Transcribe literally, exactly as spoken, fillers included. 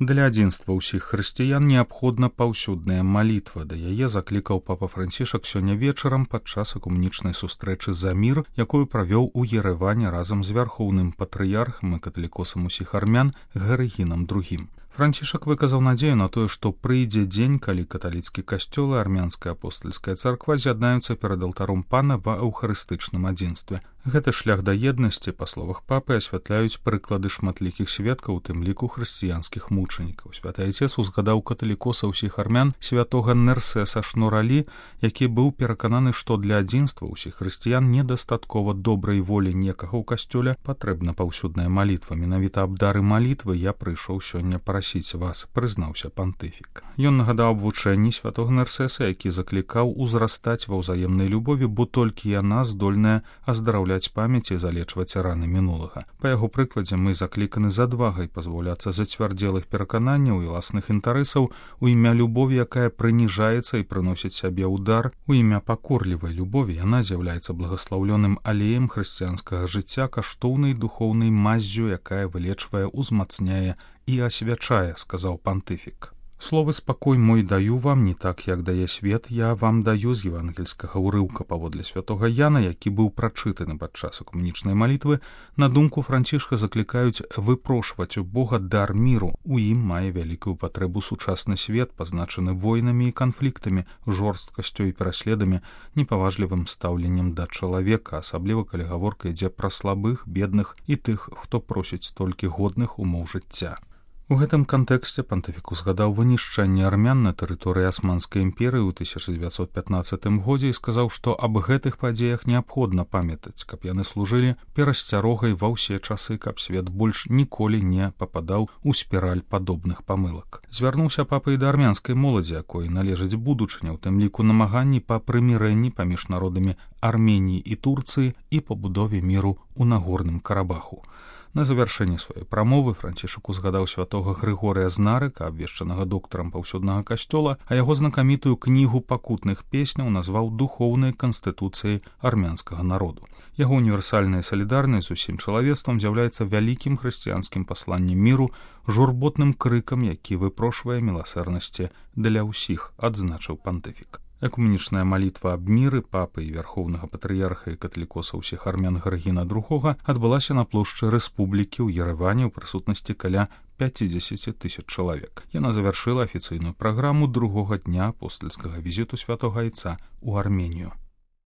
Для адзінства ўсіх хрысціян неабходна паўсюдная малітва. Да яе заклікаў папа Францішак сёння вечарам падчас экумэнічнай сустрэчы за мір, якую правёў у Ерэване разам з вярхоўным патрыярхам і каталікосам усіх армян Герыгінам другім. Францішак выказаў надзею на тое, што прыйдзе дзень, калі каталіцкі касцёл і армянская апостальская царква з'яднаюцца перад алтаром пана ва эўхарыстычным адзінстве. Гэты шлях да еднасці, па словах папы, асвятляюць прыклады шматлікіх сведкаў, у тым ліку хрысціянскіх мучанікаў. Святы Айцец узгадаў каталікоса ўсіх армян святога Нерсеса Шнуралі, які быў перакананы, што для адзінства ўсіх хрысціян недастаткова добрай волі некага ў касцёле, патрэбна паўсюдная малітва. Менавіта аб дары малітвы я прыйшоў сёння прасіць вас, прызнаўся пантыфік. Ён нагадаў аб вучэнні святога Нерсеса, які заклікаў узрастаць ва ўзаемнай любові, бо толькі яна здольная аздараўляць памяць і залечваць раны мінулага. Па яго прыкладзе мы закліканы з адвагай пазбаўляцца зацвярдзелых перакананняў і ўласных інтарэсаў у імя любові, якая прыніжаецца і прыносіць сябе ўдар. У імя пакорлівай любові яна з'яўляецца благаслаўлёным алеем хрысціянскага жыцця, каштоўнай духоўнай маззю, якая вылечвае, узмацняе і асвячае, сказаў пантыфік. Словы «спакой мой даю вам, не так, як дае свет, я вам даю» з евангельскага ўрыўка паводле святога Яна, які быў прачытаны падчас экумэнічнай малітвы, на думку Францішка заклікаюць выпрошваць у Бога дар міру. У ім мае вялікую патрэбу сучасны свет, пазначаны войнамі і канфліктамі, жорсткасцю і пераследамі, непаважлівым стаўленнем да чалавека, асабліва калі гаворка ідзе пра слабых, бедных і тых, хто просіць толькі годных умоў жыцця. У гэтым кантэксце пантыфік узгадаў вынішчэнне армян на тэрыторыі Асманскай імперыі ў тысяча дзевяцьсот пятнаццатым годзе і сказаў, што аб гэтых падзеях неабходна памятаць, каб яны служылі перасцярогай ва ўсе часы, каб свет больш ніколі не пападаў у спіраль падобных памылак. Звярнуўся папа і да армянскай моладзі, якой належыць будучыня, у тым ліку намаганні па прымірэнні паміж народамі Арменіі і Турцыі і пабудове міру ў Нагорным Карабаху. На завяршэнне сваёй прамовы Францішак узгадаў святога Грыгорыя з Нарыка, абвешчанага доктарам паўсюднага касцёла, а яго знакамітую кнігу пакутных песняў назваў духоўнай канстытуцыяй армянскага народу. Яго універсальная салідарнасць з усім чалавецтвам з'яўляецца вялікім хрысціянскім пасланнем міру, журботным крыкам, які выпрошвае міласэрнасці для ўсіх, адзначыў пантыфік. Экумэнічная малітва аб міры папы і вярхоўнага патрыярха і каталікоса ўсіх армян Герыгіна другога адбылася на плошчы Рэспублікі ў Ерэване ў прысутнасці каля пяцідзесяці тысяч чалавек. Яна завяршыла афіцыйную праграму другога дня апостальскага візіту святога Айца ў Арменію.